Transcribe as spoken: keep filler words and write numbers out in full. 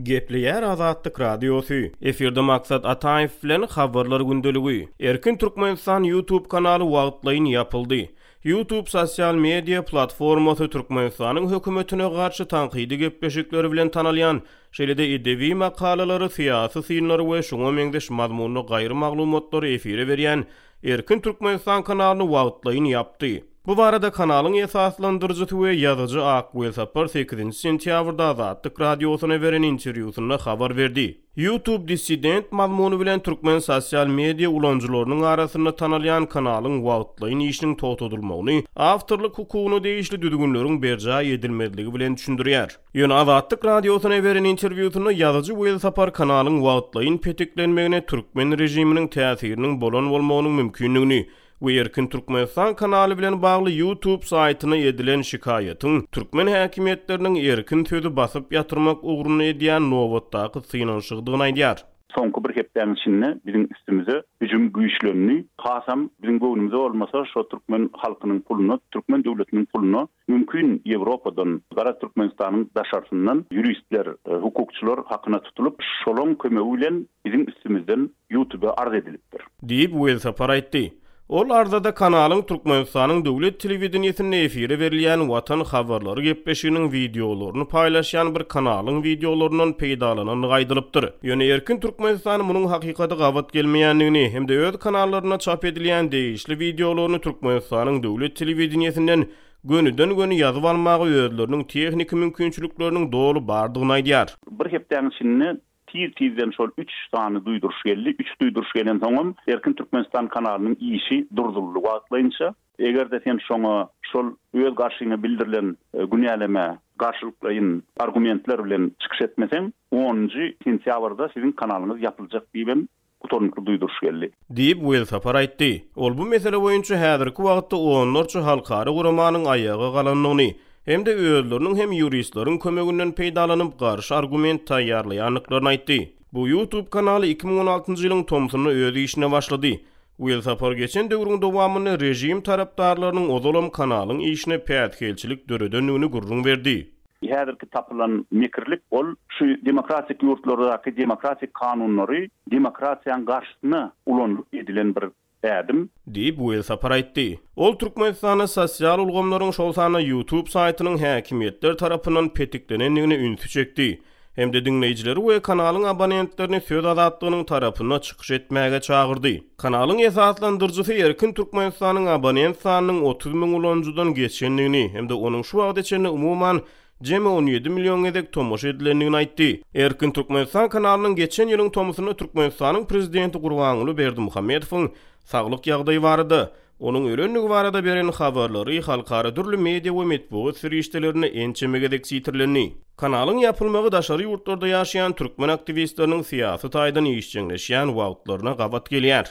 Gepleýär Azatlyk Radiosy. Efirde Maksat Ataýew bilen Habarlar gündeligi. Erkin Türkmenistan YouTube kanaly wagtlaýyn ýapyldy. YouTube sosial media platformasy Türkmenistanyň hökümetine garşy tankydy gepleşikleri bilen tanalýan, şeýle-de edebi makalalary, syýasy synlary we şuňa meňzeş mazmunly gaýry maglumatlary efire berýän Erkin Türkmenistan kanalyny wagtlaýyn ýapdy. Bu barada kanalyň esaslandyryjysy we ýazyjy Ak Welsapar sekizinji sentýabrda Azatlyk Radiosyna beren interwýusynda habar berdi. YouTube dissident mazmuny bilen türkmen sosial media ulanyjylarynyň arasynda tanalýan kanalyň wagtlaýyn işiniň togtadylmagyny awtorlyk hukugyna degişli düzgünleriň berjaý edilmezligi bilen düşündirýär. Ýöne Azatlyk Radiosyna beren interwýusynda ýazyjy Welsapar kanalyň wagtlaýyn petiklenmegine türkmen režiminiň täsiriniň bolan bolmagynyň mümkindigini we Erkin Türkmenistan kanaly bilen bagly YouTube saýtyna edilen şikaýatyň türkmen häkimiýetleriniň erkin sözi basyp ýatyrmak ugrunda edýän nobatdaky synanyşygydygyny aýdýar. Soňky bir hepdäniň içinde biziň üstümize hüjüm güýçlendi. Hasam biziň göwnümize bolmasa şo türkmen halkynyň puluna, türkmen döwletiniň puluna mümkin Ýewropadan, gara Türkmenistanyň daşarysyndan ýuristler, hukukçylar hakyna tutulyp, şolaň kömegi bilen biziň üstümizden YouTube-a arz edilipdir. Diýip, Welsapar aýtdy. Ol arzada kanalyň Türkmenistanyň döwlet telewideniýesinde efire berilýän Watan habarlary gepleşiginiň wideolaryny paýlaşýan bir kanalyň wideolaryndan peýdalanandygy aýdylypdyr. Ýöne Erkin Türkmenistan munuň hakykata gabat gelmeýändigini hem-de öz kanallarynda çap edilýän degişli wideolaryny Türkmenistanyň döwlet telewideniýesinden gönüden-göni ýazyp almaga özleriniň tehniki mümkinçilikleriniň doly bardygyny aýdýar. Bir hepdäniň içinde tiz-tizden şol üç sany duýduryş geldi. Üç duýduryş gelensoňam Erkin Türkmenistan kanalynyň işi durduryldy wagtlaýynça. Eger-de sen şoňa şol öz garşyňa bildirilen günälemä garşylyklaýyn argumentler bilen çykyş etmeseň, onunjy sentýabrda siziň kanalyňyz ýapyljak diýibem gutarnykly duýduryş geldi. Diýip, Welsapar aýtdy. Ol bu mesele boýunça häzirki wagtda onlarça halkara guramanyň aýaga galandygyny hem-de özleriniň hem ýuristleriň kömeginden peýdalanyp garşy argument taýýarlaýandyklaryny aýtdy. Bu YouTube kanaly iki müň on altynjy ýylyň tomsunda öz işine başlady. Welsapar geçen döwrüň dowamynda režim tarapdarlarynyň ozalam kanalyň işine päsgelçilik döredendigini gürrüň berdi. Häzirki tapylan mekirlik ol şu demokratik ýurtlardaky demokratik kanunlary demokratiýanyň garşysyna ulanylyp edilen bir ädim. Diýip, Welsapar aýtdy. Ol Türkmenistanda sosial ulgamlaryň, şol sanda YouTube saýtynyň häkimiýetler tarapyndan petiklenendigine ünsi çekdi. Hem-de diňleýjileri we kanalyň abonentlerini söz azatlygynyň tarapynda çykyş etmäge çagyrdy. Kanalyň esaslandyryjysy Erkin Türkmenistanyň abonent sanynyň otuz müň ulanyjydan geçendigini hem-de onuň şu wagta çenli umuman jemi on ýedi million gezek tomaşa edilendigini aýtdy. Erkin Türkmenistan kanalynyň geçen ýylyň tomusynda Türkmenistanyň prezidenti Gurbanguly Berdimuhamedowyň saglyk ýagdaýy barada, onuň ölendigi barada beren habarlary halkara dürli media we metbugat serişdelerinde ençeme gezek sitirlendi. Kanalyň ýapylmagy daşary ýurtlarda ýaşaýan türkmen aktiwistleriniň syýasy taýdan işjeňleşýän wagtlaryna gabat gelýär.